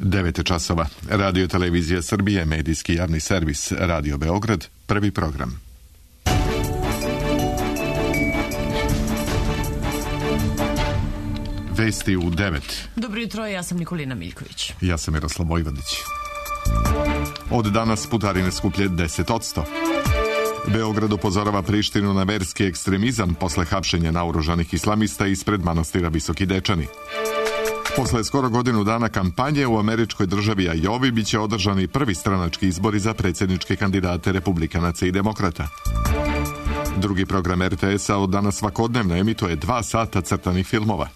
9 časova. Radio Televizija Srbije, medijski javni servis, Radio Beograd, prvi program. Vesti u 9. Dobro jutro, ja sam Nikolina Miljković. Ja sam Miroslav Vojvodić. Od danas putarine skuplje 10%. Beograd upozorava Prištinu na verski ekstremizam posle hapšenja naoružanih islamista ispred manastira Visoki Dečani. Posle skoro godinu dana kampanje u američkoj državi Ajovi biće održani prvi stranački izbori za predsjedničke kandidate republikanaca i demokrata. Drugi program RTS-a od danas svakodnevno emituje 2 sata crtanih filmova.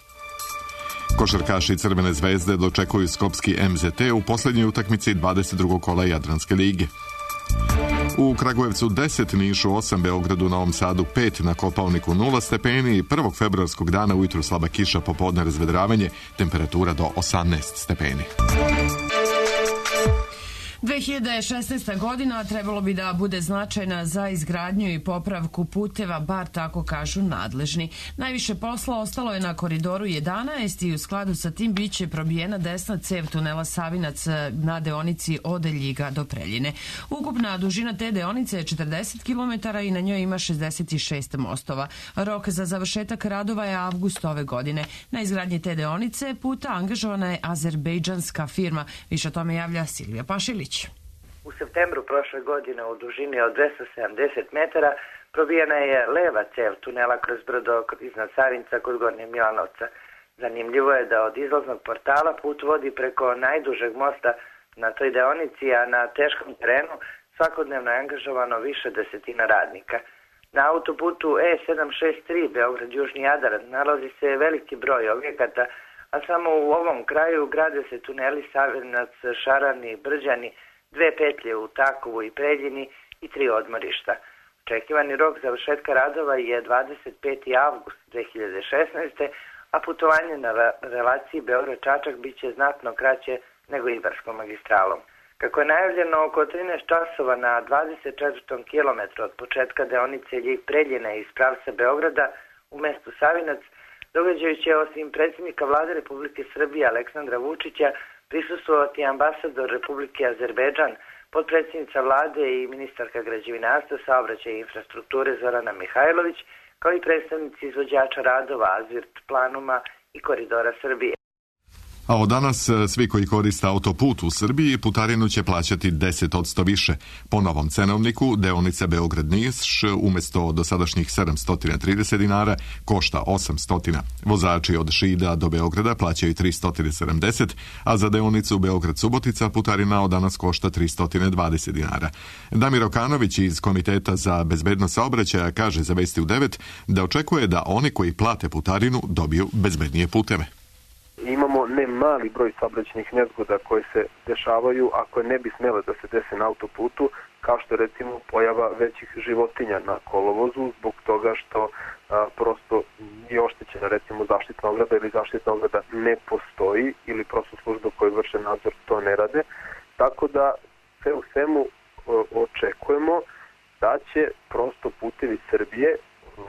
Košarkaši Crvene zvezde dočekuju skopski MZT u posljednjoj utakmici 22. kola Jadranske lige. U Kragujevcu 10, Nišu 8, Beogradu, Novom Sadu 5, na Kopaoniku 0 stepeni i 1. februarskog dana ujutru slaba kiša, popodne razvedravanje, temperatura do 18 stepeni. 2016. godina trebalo bi da bude značajna za izgradnju i popravku puteva, bar tako kažu nadležni. Najviše posla ostalo je na koridoru 11 i u skladu sa tim biće probijena desna cev tunela Savinac na deonici od Ljiga do Preljine. Ukupna dužina te deonice je 40 km i na njoj ima 66 mostova. Rok za završetak radova je avgust ove godine. Na izgradnji te deonice puta angažovana je azerbejdžanska firma. Više o tome javlja Silvija Pašilić. U septembru prošle godine u dužini od 270 metara probijena je leva cev tunela kroz brdo iznad Savinca kod Gornje Milanovca. Zanimljivo je da od izlaznog portala put vodi preko najdužeg mosta na toj deonici, a na teškom terenu svakodnevno je angažovano više desetina radnika. Na autoputu E763 Beograd-Južni Jadar nalazi se veliki broj objekata, a samo u ovom kraju grade se tuneli Savinac, Šarani, Brđani, 2 petlje u Takovu i Preljini i 3 odmorišta. Očekivani rok završetka radova je 25. avgust 2016. a putovanje na relaciji Beograd-Čačak biće znatno kraće nego Ibarskom magistralom. Kako je najavljeno oko 13 časova na 24. kilometru od početka deonice Ljig-Preljina iz pravca Beograda u mestu Savinac, događaju će osim predsjednika vlade Republike Srbije Aleksandra Vučića prisustvovati ambasador Republike Azerbejdžan, potpredsjednica vlade i ministarka građevinarstva, saobraćaja i infrastrukture Zorana Mihajlović, kao i predstavnici izvođača radova Azvirt Planuma i Koridora Srbije. A od danas svi koji koriste autoput u Srbiji putarinu će plaćati 10% više. Po novom cenovniku deonica Beograd-Niš umjesto dosadašnjih 730 dinara košta 800. Vozači od Šida do Beograda plaćaju 370, a za deonicu Beograd-Subotica putarina od danas košta 320 dinara. Damir Okanović iz Komiteta za bezbednost saobraćaja kaže za Vesti u 9 da očekuje da oni koji plate putarinu dobiju bezbednije puteve. Imamo ne mali broj saobraćajnih nezgoda koje se dešavaju, a koje ne bi smjele da se dese na autoputu, kao što je recimo pojava većih životinja na kolovozu zbog toga što prosto je oštećena recimo zaštitna ograda ili zaštitna ograda ne postoji ili prosto službe koje vrše nadzor to ne rade. Tako da sve u svemu očekujemo da će prosto Putevi Srbije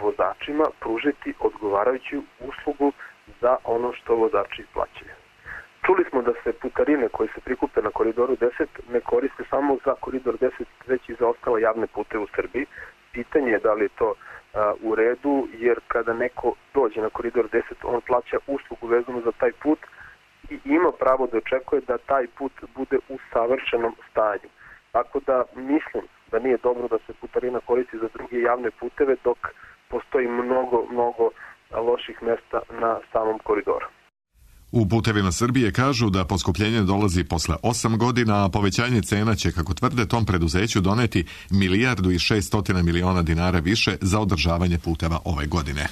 vozačima pružiti odgovarajuću uslugu za ono što vozači plaćaju. Čuli smo da se putarine koje se prikupe na koridoru 10 ne koriste samo za koridor 10, već i za ostale javne puteve u Srbiji. Pitanje je da li je to u redu, jer kada neko dođe na koridor 10, on plaća uslugu vezanu za taj put i ima pravo da očekuje da taj put bude u savršenom stanju. Tako da mislim da nije dobro da se putarina koristi za druge javne puteve dok postoji mnogo loših mesta na samom koridoru. U Putevima Srbije kažu da poskupljenje dolazi posle 8 godina, a povećanje cena će, kako tvrde, tom preduzeću doneti 1,6 milijardi dinara više za održavanje puteva ove godine.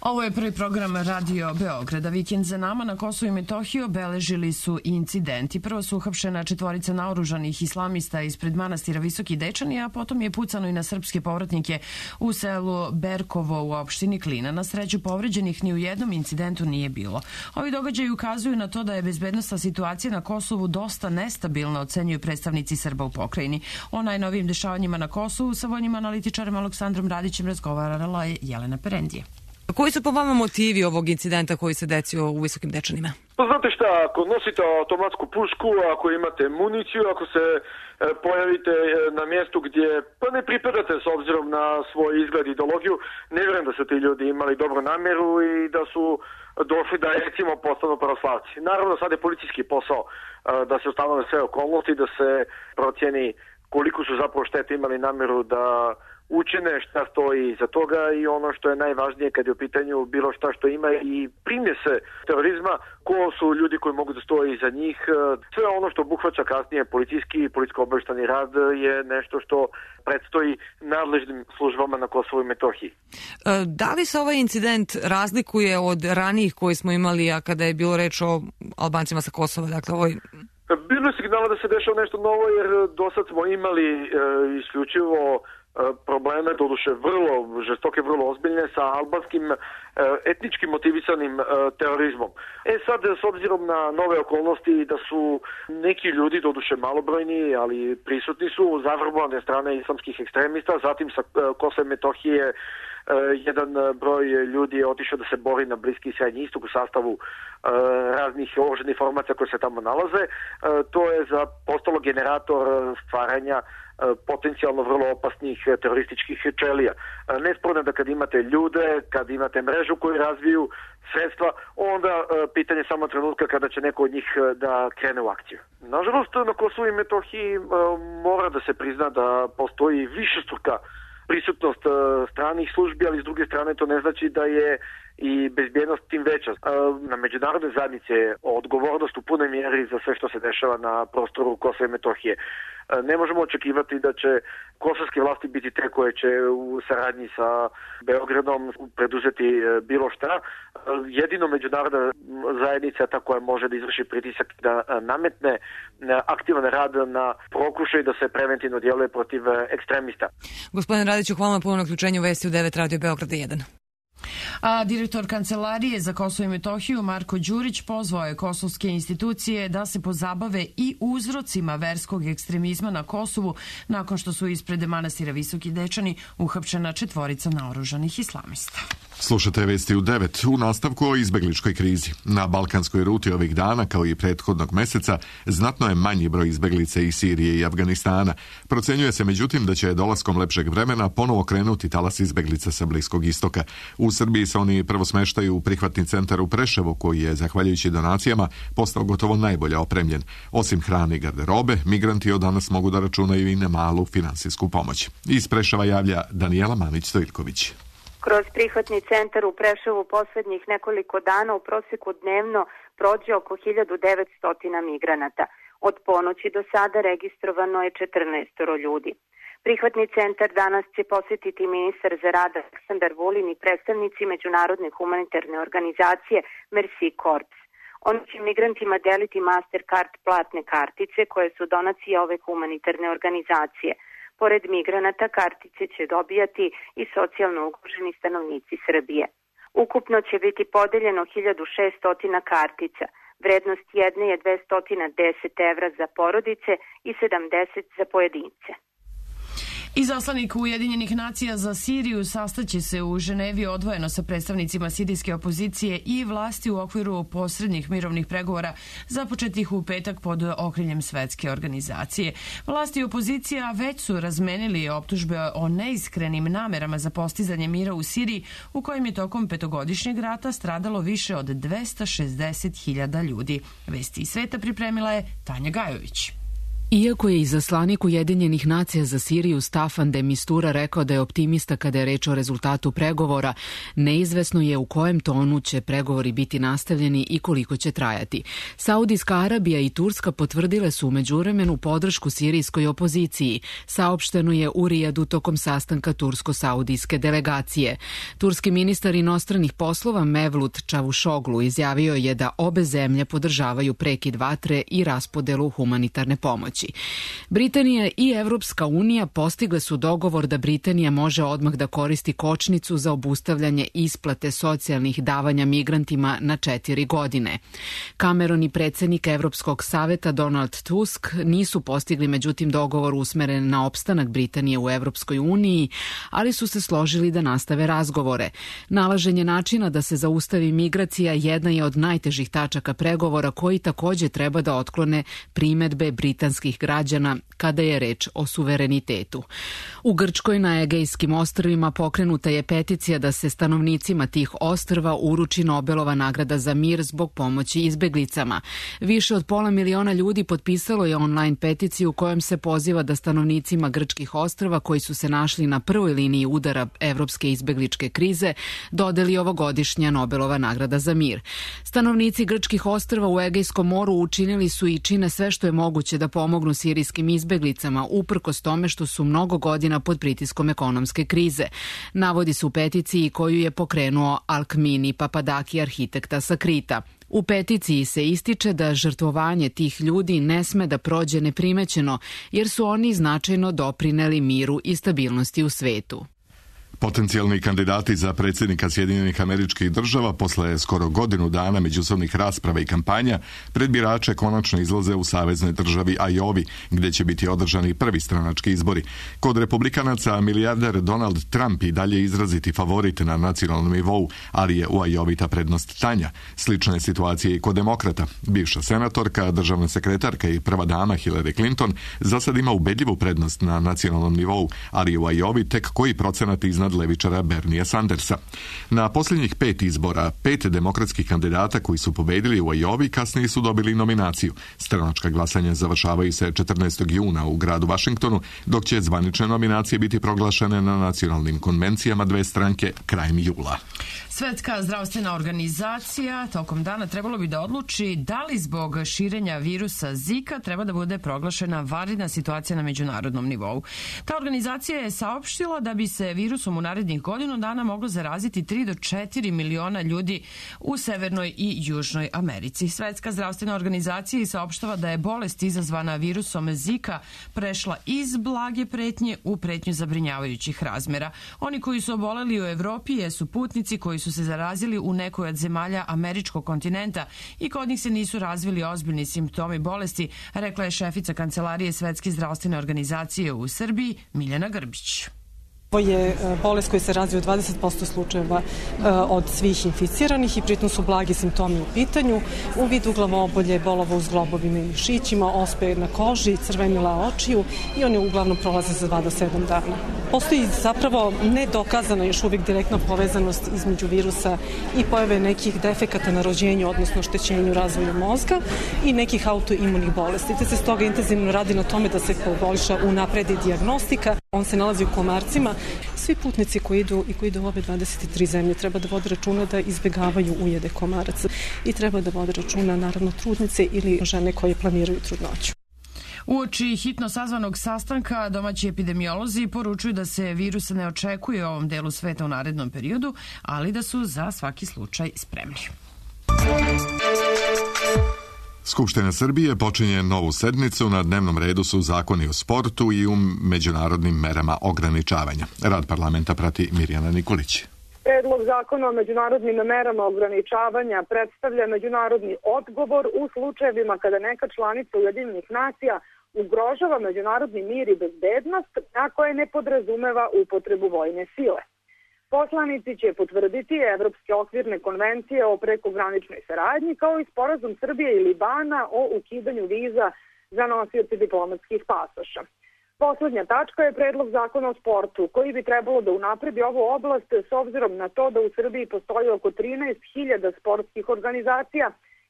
Ovo je prvi program Radio Beograda. Vikend za nama na Kosovu i Metohiji obeležili su incidenti. Prvo su uhapšena 4 naoružanih islamista ispred manastira Visoki Dečani, a potom je pucano i na srpske povratnike u selu Berkovo u opštini Klina. Na sreću povređenih ni u jednom incidentu nije bilo. Ovi događaji ukazuju na to da je bezbednosna situacija na Kosovu dosta nestabilna, ocenjuju predstavnici Srba u pokrajini. O najnovijim dešavanjima na Kosovu sa vojnim analitičarem Aleksandrom Radićem razgovarala je Jelena Perendije. Koji su po vama motivi ovog incidenta koji se desio u Visokim Dečanima? Pa znate šta, ako nosite automatsku pušku, ako imate municiju, ako se pojavite na mjestu gdje pa ne pripadate s obzirom na svoj izgled i ideologiju, ne vjerujem da su ti ljudi imali dobru namjeru i da su došli da recimo postanu pravoslavci. Naravno sad je policijski posao da se ustanove sve okolnosti, da se procjeni koliko su zapravo štete imali namjeru da učine, šta stoji iza toga i ono što je najvažnije kad je u pitanju bilo šta što ima i primjese terorizma, ko su ljudi koji mogu da stoji iza njih. Sve ono što obuhvaća kasnije policijski i policijsko-obavještajni rad je nešto što predstoji nadležnim službama na Kosovu i Metohiji. Da li se ovaj incident razlikuje od ranijih koji smo imali, a kada je bilo reč o Albancima sa Kosova? Dakle, bilo je signala da se dešava nešto novo jer do sad smo imali isključivo probleme, doduše vrlo žestoke, vrlo ozbiljne sa albanskim etnički motivisanim terorizmom. Sad, s obzirom na nove okolnosti da su neki ljudi, doduše malobrojni, ali prisutni su, zavrbovane strane islamskih ekstremista, zatim sa Kosova i Metohije jedan broj ljudi je otišao da se bori na Bliski i Srednji istok u sastavu raznih oružanih formacija koje se tamo nalaze. To je postalo generator stvaranja potencijalno vrlo opasnih terorističkih čelija. Nesporno je da kad imate ljude, kad imate mrežu koju razviju sredstva, onda pitanje samo trenutka kada će neko od njih da krene u akciju. Nažalost, na Kosovu i Metohiji mora da se prizna da postoji višestruka prisutnost stranih službi, ali s druge strane to ne znači da je i bezbjednost tim veća. Na međunarodne zajednice je odgovornost u punoj mjeri za sve što se dešava na prostoru Kosova i Metohije. Ne možemo očekivati da će kosovske vlasti biti te koje će u saradnji sa Beogradom preduzeti bilo šta. Jedino međunarodna zajednica ta koja može da izvrši pritisak da nametne aktivan rad na pokušaj da se preventivno djeluje protiv ekstremista. Gospodine Radiću, hvala na ponovno uključenju Vesti u 9 Radio Beograda 1. A direktor Kancelarije za Kosovo i Metohiju Marko Đurić pozvao je kosovske institucije da se pozabave i uzrocima verskog ekstremizma na Kosovu nakon što su ispred manastira Visoki Dečani uhapšena 4 naoružanih islamista. Slušate Vesti u 9 u nastavku o izbegličkoj krizi. Na balkanskoj ruti ovih dana, kao i prethodnog meseca, znatno je manji broj izbeglica iz Sirije i Afganistana. Procenjuje se međutim da će dolaskom lepšeg vremena ponovo krenuti talas izbeglica sa Bliskog istoka. U Srbiji se oni prvo smeštaju u prihvatni centar u Preševu, koji je, zahvaljujući donacijama, postao gotovo najbolje opremljen. Osim hrane i garderobe, migranti od danas mogu da računaju i na malu finansijsku pomoć. Iz Preševa javlja Danijela Manić-Stojilković. Kroz prihvatni centar u Preševu posljednjih nekoliko dana u prosjeku dnevno prođe oko 1900 migranata. Od ponoći do sada registrovano je 14 ljudi. Prihvatni centar danas će posjetiti ministar za rad Aleksandar Vulin i predstavnici međunarodne humanitarne organizacije Mercy Corps. Oni će migrantima deliti Mastercard platne kartice koje su donacije ove humanitarne organizacije. Pored migranata kartice će dobijati i socijalno ugroženi stanovnici Srbije. Ukupno će biti podeljeno 1600 kartica. Vrednost jedne je 210 evra za porodice i 70 za pojedince. Izaslanik Ujedinjenih nacija za Siriju sastaće se u Ženevi odvojeno sa predstavnicima sirijske opozicije i vlasti u okviru posrednih mirovnih pregovora započetih u petak pod okriljem Svetske organizacije. Vlasti i opozicija već su razmenili optužbe o neiskrenim namerama za postizanje mira u Siriji, u kojem je tokom 5-godišnjeg rata stradalo više od 260.000 ljudi. Vesti iz sveta pripremila je Tanja Gajović. Iako je izaslanik Ujedinjenih nacija za Siriju Staffan de Mistura rekao da je optimista kada je reč o rezultatu pregovora, neizvesno je u kojem tonu će pregovori biti nastavljeni i koliko će trajati. Saudijska Arabija i Turska potvrdile su u međuvremenu podršku sirijskoj opoziciji, saopšteno je u Rijadu tokom sastanka tursko-saudijske delegacije. Turski ministar inostranih poslova Mevlut Čavuşoglu izjavio je da obe zemlje podržavaju prekid vatre i raspodelu humanitarne pomoći. pomoći. Britanija i Evropska unija postigle su dogovor da Britanija može odmah da koristi kočnicu za obustavljanje isplate socijalnih davanja migrantima na 4 godine. Cameron i predsjednik Evropskog saveta Donald Tusk nisu postigli međutim dogovor usmeren na opstanak Britanije u Evropskoj uniji, ali su se složili da nastave razgovore. Nalaženje načina da se zaustavi migracija jedna je od najtežih tačaka pregovora koji također treba da otklone primedbe britanskih građana kada je reč o suverenitetu. U Grčkoj na Egejskim ostrvima pokrenuta je peticija da se stanovnicima tih ostrva uruči Nobelova nagrada za mir zbog pomoći izbeglicama. Više od 500 miliona ljudi potpisalo je online peticiju kojom se poziva da stanovnicima grčkih ostrva koji su se našli na prvoj liniji udara evropske izbegličke krize dodeli ovogodišnja Nobelova nagrada za mir. Stanovnici grčkih ostrva u Egejskom moru učinili su i čine sve što je moguće da pomognu sirijskim izbeglicama, uprkos tome što su mnogo godina pod pritiskom ekonomske krize. Navodi se u peticiji koju je pokrenuo Alkmini Papadaki, arhitekta sa Krita. U peticiji se ističe da žrtvovanje tih ljudi ne sme da prođe neprimećeno, jer su oni značajno doprineli miru i stabilnosti u svetu. Potencijalni kandidati za predsjednika Sjedinjenih Američkih Država posle skoro godinu dana međusobnih rasprava i kampanja pred birače konačno izlaze u saveznoj državi Iowi, gdje će biti održani prvi stranački izbori. Kod republikanaca milijarder Donald Trump i dalje izraziti favorit na nacionalnom nivou, ali je u Iowi ta prednost tanja. Slična je situacija i kod demokrata. Bivša senatorka, državna sekretarka i prva dama Hillary Clinton za sad ima ubedljivu prednost na nacionalnom nivou, ali u Iowi tek koji procenat iznad levičara Bernie Sandersa. Na posljednjih 5 izbora, 5 demokratskih kandidata koji su pobedili u Iowi kasnije su dobili nominaciju. Stranačka glasanja završavaju se 14. juna u gradu Washingtonu, dok će zvanične nominacije biti proglašene na nacionalnim konvencijama dve stranke krajem jula. Svetska zdravstvena organizacija tokom dana trebalo bi da odluči da li zbog širenja virusa Zika treba da bude proglašena vanredna situacija na međunarodnom nivou. Ta organizacija je saopštila da bi se virusom u narednih godinu dana moglo zaraziti 3 do 4 miliona ljudi u Severnoj i Južnoj Americi. Svetska zdravstvena organizacija saopštava da je bolest izazvana virusom Zika prešla iz blage pretnje u pretnju zabrinjavajućih razmera. Oni koji su oboleli u Evropi jesu putnici koji su se zarazili u nekoj od zemalja američkog kontinenta i kod njih se nisu razvili ozbiljni simptomi bolesti, rekla je šefica Kancelarije Svetske zdravstvene organizacije u Srbiji Miljana Grbić. Ovo je bolest koja se razvija u 20% slučajeva od svih inficiranih i pritom su blagi simptomi u pitanju, u vidu glavobolje, bolova u zglobovima i mišićima, ospe na koži, crvenila očiju i oni uglavnom prolaze za 2 do 7 dana. Postoji zapravo nedokazana još uvijek direktna povezanost između virusa i pojave nekih defekata na rođenju, odnosno oštećenju razvoju mozga i nekih autoimunih bolesti. Te se stoga intenzivno radi na tome da se poboljša unapredi dijagnostika. On se nalazi u Komarcima. Svi putnici koji idu u ove 23 zemlje treba da vode računa da izbjegavaju ujede komaraca i treba da vode računa naravno trudnice ili žene koje planiraju trudnoću. Uoči hitno sazvanog sastanka domaći epidemiolozi poručuju da se virus ne očekuje u ovom delu sveta u narednom periodu, ali da su za svaki slučaj spremni. Skupština Srbije počinje novu sednicu, na dnevnom redu su zakoni o sportu i u međunarodnim merama ograničavanja. Rad parlamenta prati Mirjana Nikolić. Predlog zakona o međunarodnim merama ograničavanja predstavlja međunarodni odgovor u slučajevima kada neka članica Ujedinjenih nacija ugrožava međunarodni mir i bezbednost, a koje ne podrazumeva upotrebu vojne sile. Poslanici će potvrditi Evropske okvirne konvencije o prekograničnoj saradnji kao i sporazum Srbije i Libana o ukidanju viza za nosioce diplomatskih pasoša. Poslednja tačka je predlog zakona o sportu, koji bi trebalo da unapredi ovu oblast s obzirom na to da u Srbiji postoji oko 13.000 sportskih organizacija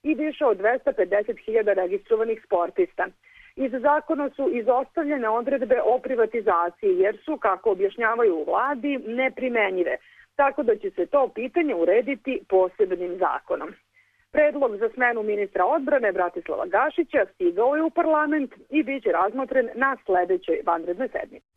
i više od 250.000 registrovanih sportista. Iz zakona su izostavljene odredbe o privatizaciji jer su, kako objašnjavaju u vladi, neprimenjive, tako da će se to pitanje urediti posebnim zakonom. Predlog za smenu ministra odbrane Bratislava Gašića stigao je u parlament i bit će razmotren na sledećoj vanrednoj sednici.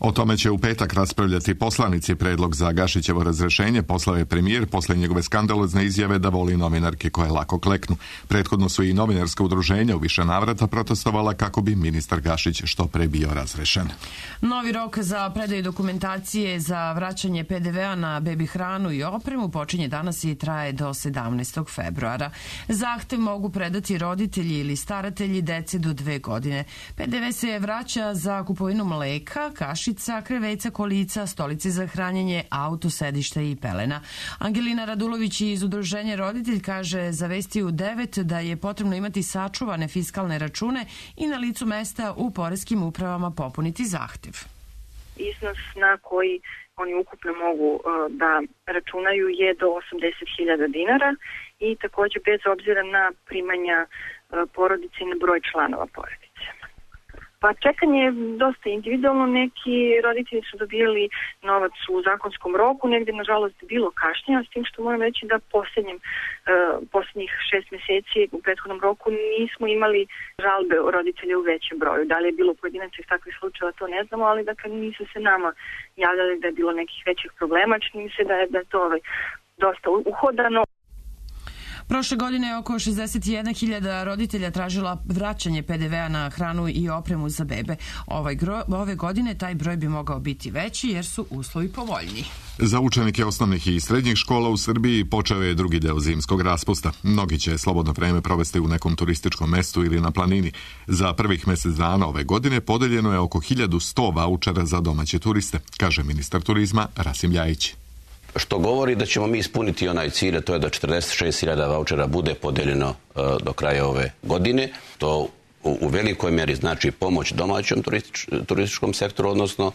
O tome će u petak raspravljati poslanici. Predlog za Gašićevo razrešenje poslao je premijer posle njegove skandalozne izjave da voli novinarke koje lako kleknu. Prethodno su i novinarska udruženja u više navrata protestovala kako bi ministar Gašić što pre bio razrešen. Novi rok za predaju dokumentacije za vraćanje PDV-a na bebi hranu i opremu počinje danas i traje do 17. februara. Zahtev mogu predati roditelji ili staratelji dece do 2 godine. PDV se vraća za kupovinu mleka, kašica, kreveća, kolica, stolice za hranjenje, auto, sedišta i pelena. Angelina Radulović iz Udruženja Roditelj kaže za Vesti u 9 da je potrebno imati sačuvane fiskalne račune i na licu mesta u poreskim upravama popuniti zahtev. Iznos na koji oni ukupno mogu da računaju je do 80.000 dinara i takođe bez obzira na primanja porodice i na broj članova porodice. Pa čekanje je dosta individualno, neki roditelji su dobili novac u zakonskom roku, negde nažalost bilo kašnjenja, s tim što moram reći da posljednjih 6 meseci u prethodnom roku nismo imali žalbe roditelja u većem broju. Da li je bilo pojedinačnih takvih slučajeva, to ne znamo, ali dakle nisu se nama javljali da je bilo nekih većih problema, čini mi se da je to dosta uhodano. Prošle godine je oko 61.000 roditelja tražila vraćanje PDV-a na hranu i opremu za bebe. Ove godine taj broj bi mogao biti veći jer su uslovi povoljniji. Za učenike osnovnih i srednjih škola u Srbiji počeo je drugi deo zimskog raspusta. Mnogi će slobodno vreme provesti u nekom turističkom mestu ili na planini. Za prvih mjesec dana ove godine podeljeno je oko 1100 vaučera za domaće turiste, kaže ministar turizma Rasim Ljajić. Što govori da ćemo mi ispuniti onaj cilj, a to je da 46.000 vaučera bude podeljeno do kraja ove godine. To u velikoj mjeri znači pomoć domaćom turističkom sektoru, odnosno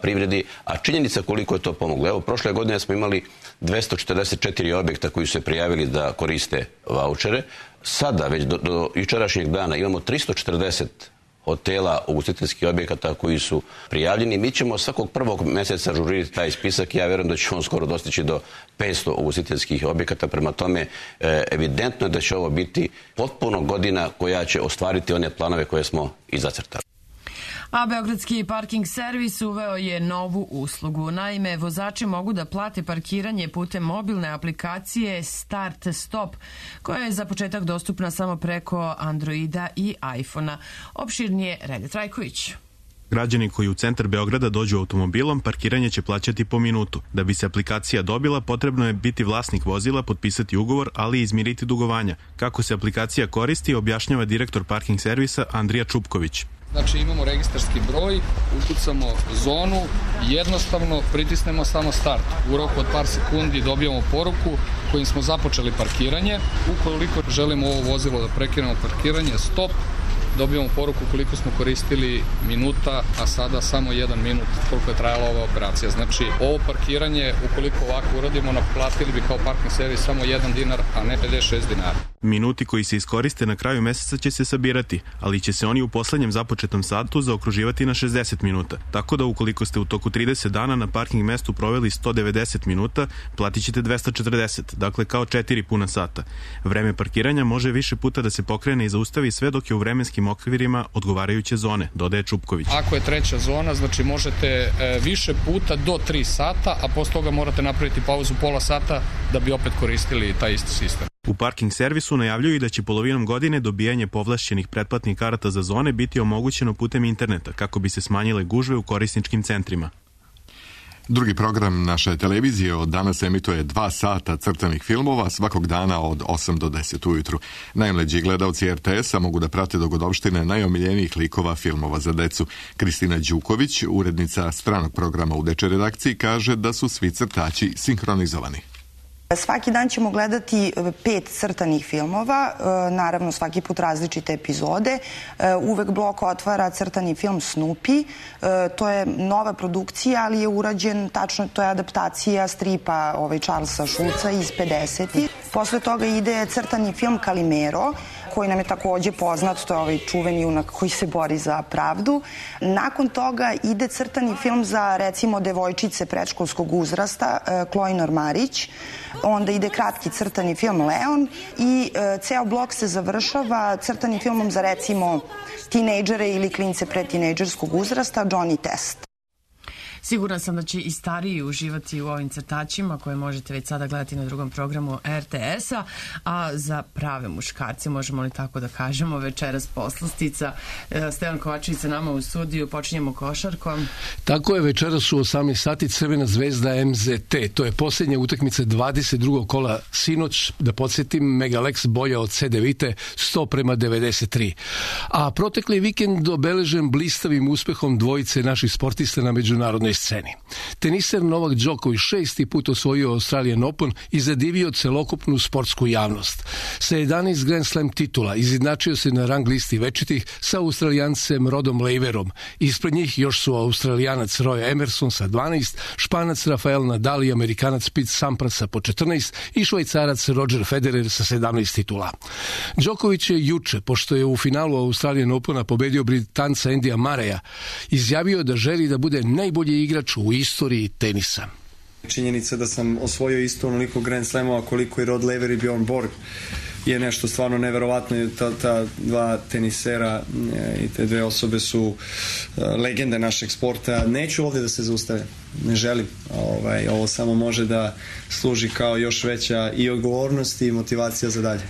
privredi, a činjenica koliko je to pomoglo. Evo, prošle godine smo imali 244 objekta koji su se prijavili da koriste vaučere. Sada, već do jučerašnjeg dana, imamo 340 hotela, ugostiteljskih objekata koji su prijavljeni. Mi ćemo svakog prvog mjeseca ažurirati taj spisak. Ja vjerujem da će on skoro dostići do 500 ugostiteljskih objekata. Prema tome, evidentno je da će ovo biti potpuno godina koja će ostvariti one planove koje smo i zacrtali. A Beogradski parking servis uveo je novu uslugu. Naime, vozači mogu da plate parkiranje putem mobilne aplikacije Start Stop, koja je za početak dostupna samo preko Androida i iPhona. Opširnije Rede Trajković. Građani koji u centar Beograda dođu automobilom, parkiranje će plaćati po minutu. Da bi se aplikacija dobila, potrebno je biti vlasnik vozila, potpisati ugovor, ali i izmiriti dugovanja. Kako se aplikacija koristi, objašnjava direktor parking servisa Andrija Čupković. Znači imamo registarski broj, ukucamo zonu, jednostavno pritisnemo samo start. U roku od par sekundi dobijamo poruku kojim smo započeli parkiranje. Ukoliko želimo ovo vozilo da prekinemo parkiranje, stop, dobijamo poruku koliko smo koristili minuta, a sada samo 1 minut koliko je trajala ova operacija. Znači ovo parkiranje, ukoliko ovako uradimo, naplatili bi kao parking servis samo 1 dinar, a ne 56 dinara. Minuti koji se iskoriste na kraju meseca će se sabirati, ali će se oni u poslednjem započetom satu zaokruživati na 60 minuta. Tako da ukoliko ste u toku 30 dana na parking mestu proveli 190 minuta, platit ćete 240, dakle kao 4 puna sata. Vreme parkiranja može više puta da se pokrene i zaustavi sve dok je u vremenskim okvirima odgovarajuće zone, dodaje Čupković. Ako je treća zona, znači možete više puta do 3 sata, a posle toga morate napraviti pauzu pola sata da bi opet koristili taj isti sistem. U parking servisu najavljuju i da će polovinom godine dobijanje povlašćenih pretplatnih karata za zone biti omogućeno putem interneta, kako bi se smanjile gužve u korisničkim centrima. Drugi program naše televizije od danas emituje 2 sata crtanih filmova svakog dana od 8 do 10 ujutru. Najmlađi gledalci RTS-a mogu da prate dogodovštine najomiljenijih likova filmova za decu. Kristina Đuković, urednica stranog programa u dečoj redakciji, kaže da su svi crtači sinhronizovani. Svaki dan ćemo gledati 5 crtanih filmova, naravno svaki put različite epizode. Uvek blok otvara crtani film Snoopy. To je nova produkcija, ali je urađen tačno, to je adaptacija stripa Charlesa Schulza iz 50-ih. Posle toga ide crtani film Calimero, koji nam je takođe poznat, to je ovaj čuveni junak koji se bori za pravdu. Nakon toga ide crtani film za, recimo, devojčice predškolskog uzrasta, Chloe Normarić. Onda ide kratki crtani film Leon i ceo blok se završava crtanim filmom za, recimo, tinejdžere ili klince predtinejdžerskog uzrasta, Johnny Test. Sigurna sam da će i stariji uživati u ovim crtačima koje možete već sada gledati na drugom programu RTS-a, a za prave muškarce, možemo li tako da kažemo, večeras poslastica. Stevan Kovačević sa nama u studiju, počinjemo košarkom. Tako je, večeras u 18 sati Crvena zvezda MZT. To je posljednja utakmica 22. kola sinoć, da podsjetim, Megalex bolja od CD Vite 100:93. A protekli vikend obeležen blistavim uspehom dvojice naših sportista na međunarodnoj sceni. Teniser Novak Đoković 6. put osvojio Australian Open i zadivio celokupnu sportsku javnost. Sa 11 Grand Slam titula izjednačio se na rang listi večitih sa Australijancem Rodom Laverom. Ispred njih još su Australijanac Roy Emerson sa 12, Španac Rafael Nadal i Amerikanac Pete Sampras sa po 14 i Švajcarac Roger Federer sa 17 titula. Đoković je juče, pošto je u finalu Australian Opena pobedio Britanca Andyja Murraya, izjavio da želi da bude najbolji igrač u istoriji tenisa. Činjenica da sam osvojio isto onoliko Grand Slamova koliko i Rod Laver i Bjorn Borg je nešto stvarno neverovatno. Ta dva tenisera i te dve osobe su legende našeg sporta. Neću ovdje da se zaustavim, ne želim. Ovo samo može da služi kao još veća i odgovornost i motivacija za dalje.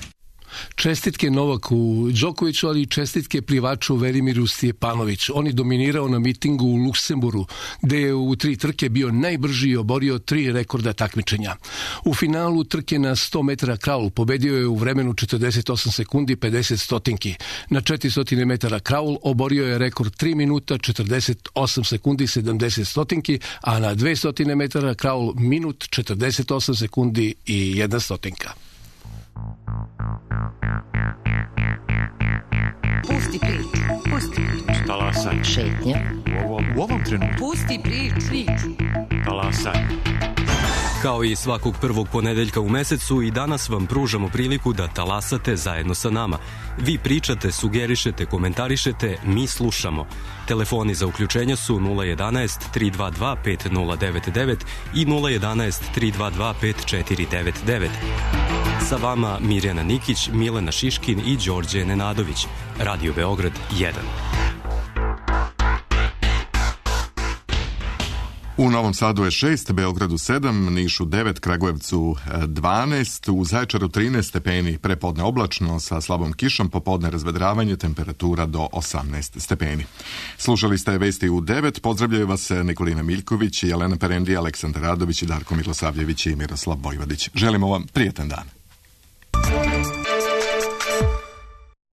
Čestitke Novaku Đokoviću, ali i čestitke plivaču Velimiru Stjepanović. On je dominirao na mitingu u Luksemburgu, gde je u 3 trke bio najbrži i oborio 3 rekorda takmičenja. U finalu trke na 100 metara kraul pobedio je u vremenu 48 sekundi 50 stotinki. Na 400 metara kraul oborio je rekord 3 minuta 48 sekundi 70 stotinki, a na 200 metara kraul minut 48 sekundi i 1 stotinka. Pusti priču, pusti priču. Talasaj. Šetnja. U ovom trenutku. Pusti priču. Talasaj. Kao i svakog prvog ponedeljka u mesecu, i danas vam pružamo priliku da talasate zajedno sa nama. Vi pričate, sugerišete, komentarišete, mi slušamo. Telefoni za uključenje su 011 322 5099 i 011 322 5499. Sa vama Mirjana Nikić, Milena Šiškin i Đorđe Nenadović. Radio Beograd 1. U Novom Sadu je 6, Beogradu 7, Nišu 9, Kragujevcu 12, u Zaječaru 13 stepeni, prepodne oblačno sa slabom kišom, popodne razvedravanje, temperatura do 18 stepeni. Slušali ste vesti u 9, pozdravljaju vas Nikolina Miljković, Jelena Perendi, Aleksandar Radović, Darko Milosavljević i Miroslav Vojvodić. Želimo vam prijetan dan.